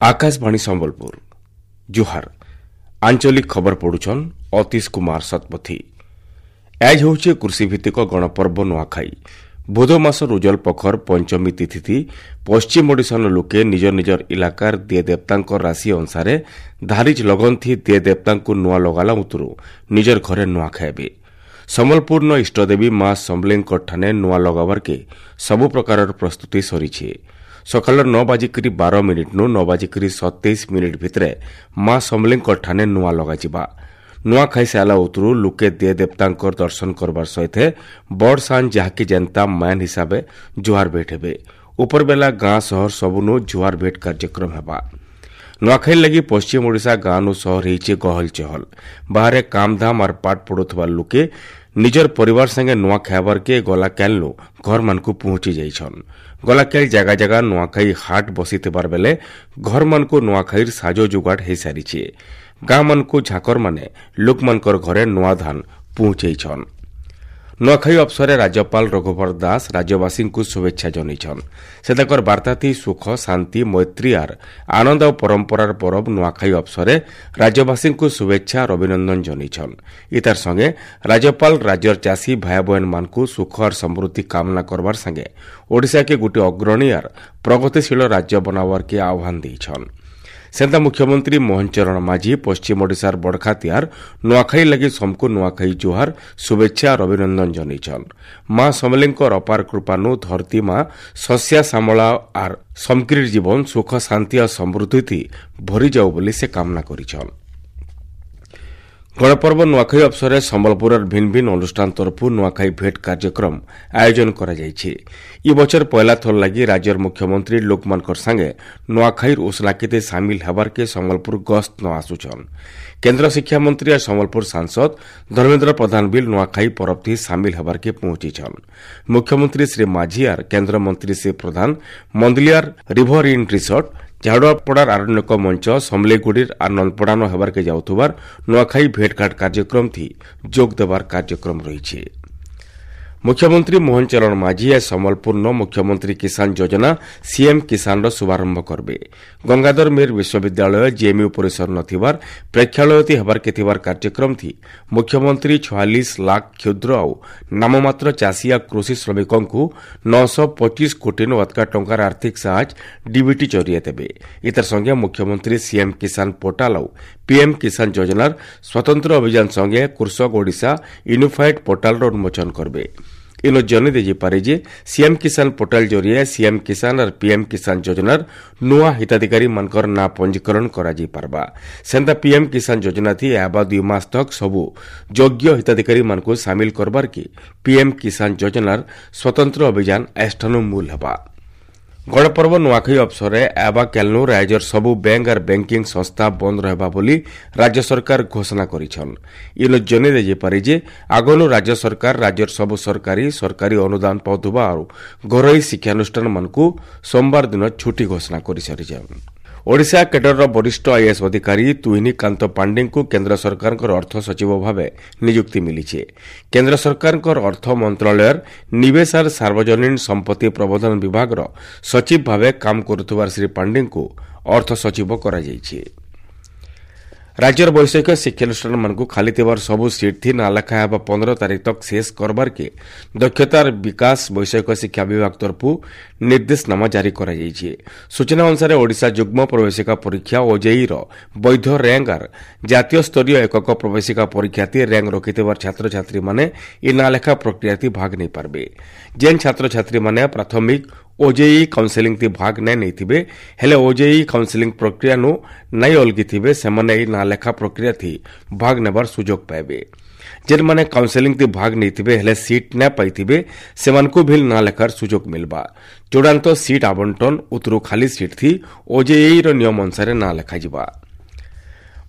ଆକାଶବାଣୀ ସମ୍ବଲପୁର, ଜୁହାର। ଆଞ୍ଚଳିକ ଖବର ପଢୁଛନ୍ ଅତୀଶ କୁମାର ଶତପଥୀ। ଆଜ୍ ହେଉଛି କୃଷିଭିତ୍ତିକ ଗଣପର୍ବ ନୂଆଖାଇ। ଭୋଦ ମାସ ରୁଜଲ ପଖର ପଞ୍ଚମୀ ତିଥି ପଶ୍ଚିମ ଓଡ଼ିଶାର ଲୋକେ ନିଜ ନିଜର ଇଲାକାର ଦିଏ ଦେବତାଙ୍କ ରାଶି ଅନୁସାରେ ଧାରିଜ ଲଗନ୍ଥି ଦିଏ ଦେବତାଙ୍କୁ ନୂଆ ଲଗାଲା ଉତରୁ ନିଜର ଘରେ ନୂଆ ଖାଇବେ। ସମ୍ବଲପୁରନ ଇଷ୍ଟଦେବୀ ମା ସମଲେଇଙ୍କ ଠାନେ ନୂଆ ଲଗାବାର୍କେ ସବୁ ପ୍ରକାରର ପ୍ରସ୍ତୁତି ସରିছে। ସକାଳ 9:12 ନୁ 9:27 ଭିତରେ ମା ସମଲେଇଙ୍କ ଠାନେ ନୂଆ ଲଗାଯିବା। ନୂଆ ଖାଇସାରିଲା ଉତରୁ ଲୋକେ ଦିଏ ଦେବତାଙ୍କର ଦର୍ଶନ କରବାର ସହିତ ବଡ଼ ସାନ୍ ଯାହାକି ଯେନ୍ତା ମ୍ୟାନ୍ ହିସାବେ ଜୁହାର ଭେଟ ହେବେ। ଉପରବେଲା ଗାଁ ସହର ସବୁନୁ ଜୁହାର ଭେଟ କାର୍ଯ୍ୟକ୍ରମ ହେବା। ନୂଆଖାଇ ଲାଗି ପଶ୍ଚିମ ଓଡ଼ିଶା ଗାଁନୁ ସହର ହେଇଛେ ଗହଲ ଚହଲ। ବାହାରେ କାମଧାମ ଆର୍ ପାଠ ପଢୁଥିବା ଲୋକେ ନିଜର ପରିବାର ସାଙ୍ଗେ ନୂଆ ଖାଇବାର୍କେ ଗଲା କାଲ୍ନୁ ଘରମାନଙ୍କୁ ପହଞ୍ଚି ଯାଇଛନ୍। ଗଲାକାଲି ଜାଗା ଜାଗା ନୂଆଖାଇ ହାଟ ବସିଥିବାର ବେଲେ ଘରମାନଙ୍କୁ ନୂଆଖାଇର ସାଜ ଯୋଗାଡ଼ ହେଇସାରିଛେ। ଗାଁମାନଙ୍କୁ ଝାକରମାନେ ଲୋକମାନଙ୍କର ଘରେ ନୂଆ ଧାନ ପହଞ୍ଚେଇଛନ୍। ନୂଆଖାଇ ଅବସରରେ ରାଜ୍ୟପାଳ ରଘୁବର ଦାସ ରାଜ୍ୟବାସୀଙ୍କୁ ଶୁଭେଚ୍ଛା ଜଣାଇଛନ୍। ସେ ତାଙ୍କର ବାର୍ତ୍ତାଥି ସୁଖ, ଶାନ୍ତି, ମୈତ୍ରୀ ଆର୍ ଆନନ୍ଦ ଓ ପରମ୍ପରାର ପରବ ନୂଆଖାଇ ଅବସରରେ ରାଜ୍ୟବାସୀଙ୍କୁ ଶୁଭେଚ୍ଛା ଆର୍ ଅଭିନନ୍ଦନ ଜଣାଇଛନ୍। ଇତାର ସଙ୍ଗେ ରାଜ୍ୟପାଳ ରାଜ୍ୟର ଚାଷୀ ଭାଇ ବହେନମାନଙ୍କୁ ସୁଖ ଆର୍ ସମୃଦ୍ଧି କାମନା କରବାର ସାଙ୍ଗେ ଓଡ଼ିଶାକେ ଗୋଟିଏ ଅଗ୍ରଣୀ ଆର୍ ପ୍ରଗତିଶୀଳ ରାଜ୍ୟ ବନାବାର୍କେ ଆହ୍ୱାନ ଦେଇଛନ୍। ସେନ୍ତା ମୁଖ୍ୟମନ୍ତ୍ରୀ ମୋହନ ଚରଣ ମାଝୀ ପଶ୍ଚିମ ଓଡ଼ିଶାର ବଡ଼ଖାତିଆର ନୂଆଖାଇ ଲାଗି ସମକୁ ନୂଆଖାଇ ଜୁହାର, ଶୁଭେଚ୍ଛା ଆର୍ ଅଭିନନ୍ଦନ ଜଣାଇଛନ୍। ମା ସମଲେଇଙ୍କର ଅପାର କୃପାନୁ ଧରତୀ ମା ଶସ୍ୟା ଶ୍ୟାମଳା ଆର୍ ସମକ୍ରିର ଜୀବନ ସୁଖ, ଶାନ୍ତି ଆଉ ସମୃଦ୍ଧି ଭରିଯାଉ ବୋଲି ସେ କାମନା କରିଛନ୍। ଗଣପର୍ବ ନୂଆଖାଇ ଅବସରରେ ସମ୍ବଲପୁରର ଭିନ୍ନ ଭିନ୍ନ ଅନୁଷ୍ଠାନ ତରଫରୁ ନୂଆଖାଇ ଭେଟ କାର୍ଯ୍ୟକ୍ରମ ଆୟୋଜନ କରାଯାଇଛି। ଇ ବଛର ପହିଲା ଥର ଲାଗି ରାଜ୍ୟର ମୁଖ୍ୟମନ୍ତ୍ରୀ ଲୋକମାନଙ୍କର ସାଙ୍ଗେ ନୂଆଖାଇର ଉସଲାକିତେ ସାମିଲ ହେବାର୍କେ ସମ୍ବଲପୁର ଗସ୍ତ ନ ଆସୁଛନ୍। କେନ୍ଦ୍ର ଶିକ୍ଷାମନ୍ତ୍ରୀ ଆଉ ସମ୍ବଲପୁର ସାଂସଦ ଧର୍ମେନ୍ଦ୍ର ପ୍ରଧାନ ବିଲ୍ ନୂଆଖାଇ ପରବଥି ସାମିଲ ହେବାର୍କେ ପହଞ୍ଚିଛନ୍। ମୁଖ୍ୟମନ୍ତ୍ରୀ ଶ୍ରୀ ମାଝୀ ଆର୍ କେନ୍ଦ୍ରମନ୍ତ୍ରୀ Shri Pradhan ମନ୍ଦଲିଆର river in resort, ଝାଡୁଆପଡ଼ାର Aranyak ମଞ୍ଚ, ସମଲେଇଗୁଡ଼ିର ଆର୍ ନନ୍ଦପଡ଼ାନ ହେବାର୍କେ ଯାଉଥିବାର ନୂଆଖାଇ ଭେଟଘାଟ କାର୍ଯ୍ୟକ୍ରମ ଥି ଯୋଗ ଦେବାର କାର୍ଯ୍ୟକ୍ରମ ରହିଛି। ମୁଖ୍ୟମନ୍ତ୍ରୀ ମୋହନ ଚରଣ ମାଝୀ ଆଜ ସମ୍ବଲପୁରନ ମୁଖ୍ୟମନ୍ତ୍ରୀ କିଷାନ ଯୋଜନା ସିଏମ୍ କିଷାନର ଶୁଭାରମ୍ଭ କରିବେ। ଗଙ୍ଗାଧର ମେହେର ବିଶ୍ୱବିଦ୍ୟାଳୟ ଜେଏମ୍ୟୁ ପରିସର ନଥିବାର ପ୍ରେକ୍ଷାଳୟତି ହେବାର୍କେ ଥିବାର କାର୍ଯ୍ୟକ୍ରମ ଥି ମୁଖ୍ୟମନ୍ତ୍ରୀ 46 ଲାଖ କ୍ଷୁଦ୍ର ଆଉ ନାମମାତ୍ର ଚାଷୀ ଆଉ କୃଷି ଶ୍ରମିକଙ୍କୁ 925 କୋଟିନୁ ଅଧିକା ଟଙ୍କାର ଆର୍ଥିକ ସାହାଯ୍ୟ ଡିବିଟି ଜରିଏ ଦେବେ। ଇତାର ସଙ୍ଗେ ମୁଖ୍ୟମନ୍ତ୍ରୀ ସିଏମ୍ କିଷାନ ପୋର୍ଟାଲ ଆଉ ପିଏମ୍ କିଷାନ ଯୋଜନାର ସ୍ୱତନ୍ତ୍ର ଅଭିଯାନ ସଙ୍ଗେ କୃଷକ ଓଡ଼ିଶା ୟୁନିଫାଏଡ୍ ପୋର୍ଟାଲର ଉନ୍ମୋଚନ କରିବେ। ଇନ ଜଣାଇ ଦେଇପାରେ ଯେ ସିଏମ୍ କିଷାନ ପୋର୍ଟାଲ ଜରିଏ ସିଏମ୍ କିଷାନ ଆର୍ ପିଏମ୍ କିଷାନ ଯୋଜନାର ନୂଆ ହିତାଧିକାରୀମାନଙ୍କର ନାଁ ପଞ୍ଜୀକରଣ କରାଯାଇପାରବା। ସେନ୍ତା ପିଏମ୍ କିଷାନ ଯୋଜନା ଥି ଏହାବା 2 ମାସ ତକ୍ ସବୁ ଯୋଗ୍ୟ ହିତାଧିକାରୀମାନଙ୍କୁ ସାମିଲ କରବାର କି ପିଏମ୍ କିଷାନ ଯୋଜନାର ସ୍ୱତନ୍ତ୍ର ଅଭିଯାନ ଏଷ୍ଠାନୁ ମୂଲ ହେବା। ଗଣପର୍ବ ନୂଆଖାଇ ଅବସରରେ ଆବା କ୍ୟାଲନୁ ରାଜ୍ୟର ସବୁ ବ୍ୟାଙ୍କ ଆର୍ ବ୍ୟାଙ୍କିଂ ସଂସ୍ଥା ବନ୍ଦ ରହିବା ବୋଲି ରାଜ୍ୟ ସରକାର ଘୋଷଣା କରିଛନ୍। ଇନ ଜଣାଇ ଦେଇପାରେ ଯେ ଆଗନୁ ରାଜ୍ୟ ସରକାର ରାଜ୍ୟର ସବୁ ସରକାରୀ, ସରକାରୀ ଅନୁଦାନ ପାଉଥିବା ଆଉ ଘରୋଇ ଶିକ୍ଷାନୁଷ୍ଠାନମାନଙ୍କୁ ସୋମବାର ଦିନ ଛୁଟି ଘୋଷଣା କରିସାରିଛନ୍। ଓଡ଼ିଶା କେଡରର ବରିଷ୍ଠ ଆଇଏଏସ୍ ଅଧିକାରୀ ତୁହିନୀକାନ୍ତ ପାଣ୍ଡେଙ୍କୁ କେନ୍ଦ୍ର ସରକାରଙ୍କର ଅର୍ଥ ସଚିବ ଭାବେ ନିଯୁକ୍ତି ମିଳିଛି। କେନ୍ଦ୍ର ସରକାରଙ୍କର ଅର୍ଥ ମନ୍ତ୍ରଣାଳୟର ନିବେଶ ଆର୍ ସାର୍ବଜନୀନ ସମ୍ପତ୍ତି ପ୍ରବନ୍ଧନ ବିଭାଗର ସଚିବ ଭାବେ କାମ କରୁଥିବା ଶ୍ରୀ ପାଣ୍ଡେଙ୍କୁ ଅର୍ଥ ସଚିବ କରାଯାଇଛି। ରାଜ୍ୟର ବୈଷୟିକ ଶିକ୍ଷାନୁଷ୍ଠାନମାନଙ୍କୁ ଖାଲି ଥିବାର ସବୁ ସିଟ୍ ଥି ନାଁ ଲେଖା ହେବା 15 ତାରିଖ ତକ୍ ଶେଷ କରବାର୍କେ ଦକ୍ଷତାର ବିକାଶ ବୈଷୟିକ ଶିକ୍ଷା ବିଭାଗ ତରଫରୁ ନିର୍ଦ୍ଦେଶନାମା ଜାରି କରାଯାଇଛି। ସୂଚନା ଅନୁସାରେ ଓଡ଼ିଶା ଯୁଗ୍ମ ପ୍ରବେଶିକା ପରୀକ୍ଷା ଓଜେଇର ବୈଧ ର୍ୟାଙ୍କ ଆର୍ ଜାତୀୟ ସ୍ତରୀୟ ଏକକ ପ୍ରବେଶିକା ପରୀକ୍ଷାଥି ର୍ୟାଙ୍କ ରଖିଥିବାର ଛାତ୍ରଛାତ୍ରୀମାନେ ଇ ନାଁ ଲେଖା ପ୍ରକ୍ରିୟାଥି ଭାଗ ନେଇପାରିବେ। ଯେନ୍ ଛାତ୍ରଛାତ୍ରୀମାନେ ପ୍ରାଥମିକ ଓଜେଇ କାଉନସେଲିଂ ଥି ଭାଗ ନାଇଁ ନେଇଥିବେ, ହେଲେ ଓଜେଇ କାଉନସେଲିଂ ପ୍ରକ୍ରିୟାନୁ ନାଇଁ ଅଲଗିଥିବେ, ସେମାନେ ଏହି ନାଁ ଲେଖା ପ୍ରକ୍ରିୟା ଥି ଭାଗ ନେବାର ସୁଯୋଗ ପାଇବେ। ଯେନ୍ମାନେ କାଉନସେଲିଂ ଥି ଭାଗ ନେଇଥିବେ ହେଲେ ସିଟ୍ ନାଇଁ ପାଇଥିବେ, ସେମାନଙ୍କୁ ଭିଲ୍ ନାଁ ଲେଖାର ସୁଯୋଗ ମିଲବା। ଚୂଡ଼ାନ୍ତ ସିଟ୍ ଆବଣ୍ଟନ ଉତରୁ ଖାଲି ସିଟ୍ ଥି ଓଜେଇର ନିୟମ ଅନୁସାରେ ନାଁ ଲେଖାଯିବା।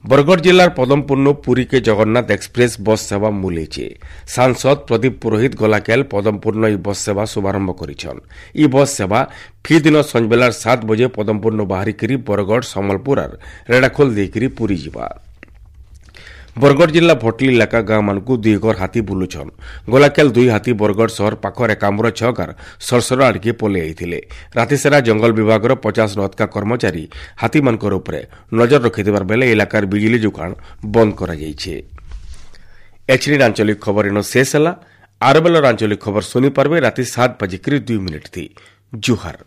ବରଗଡ଼ ଜିଲ୍ଲାର ପଦମପୁରନୁ ପୁରୀକେ ଜଗନ୍ନାଥ ଏକ୍ସପ୍ରେସ୍ ବସ୍ ସେବା ମୂଲେଇছে। ସାଂସଦ ପ୍ରଦୀପ ପୁରୋହିତ ଗଲାକାଲ ପଦମପୁରନ ଇ ବସ୍ ସେବା ଶୁଭାରମ୍ଭ କରିଛନ୍। ଇ ବସ୍ ସେବା ଫି ଦିନ ସଞ୍ଜବେଲାର 7 ବଜେ ପଦମପୁରନୁ ବାହାରିକରି ବରଗଡ଼, ସମ୍ବଲପୁର ଆର୍ ରେଢ଼ାଖୋଲ ଦେଇକରି ପୁରୀ ଯିବା। ବରଗଡ଼ ଜିଲ୍ଲା ଭଟଲି ଇଲାକା ଗାଁମାନଙ୍କୁ 2 ଘର ହାତୀ ବୁଲୁଛନ୍। ଗଲାକାଲ 2 ହାତୀ ବରଗଡ଼ ସହର ପାଖର ଏକାମ୍ର 6 ଗାର ସରସର ଆଡ଼ିକେ ପଲେଇ ଆଇଥିଲେ। ରାତିସାରା ଜଙ୍ଗଲ ବିଭାଗର 50 ଅଧିକା କର୍ମଚାରୀ ହାତୀମାନଙ୍କର ଉପରେ ନଜର ରଖିଥିବାର ବେଲେ ଇଲାକାର ବିଜୁଳି ଯୋଗାଣ ବନ୍ଦ କରାଯାଇଛି। ଏଛିନିର ଆଞ୍ଚଳିକ ଖବର ଇନ ଶେଷ ହେଲା। ଆର ବେଲର ଆଞ୍ଚଳିକ ଖବର ଶୁଣିପାରବେ ରାତି 7 ବାଜିକରି 2 ମିନିଟ୍ ଥି। ଜୁହାର।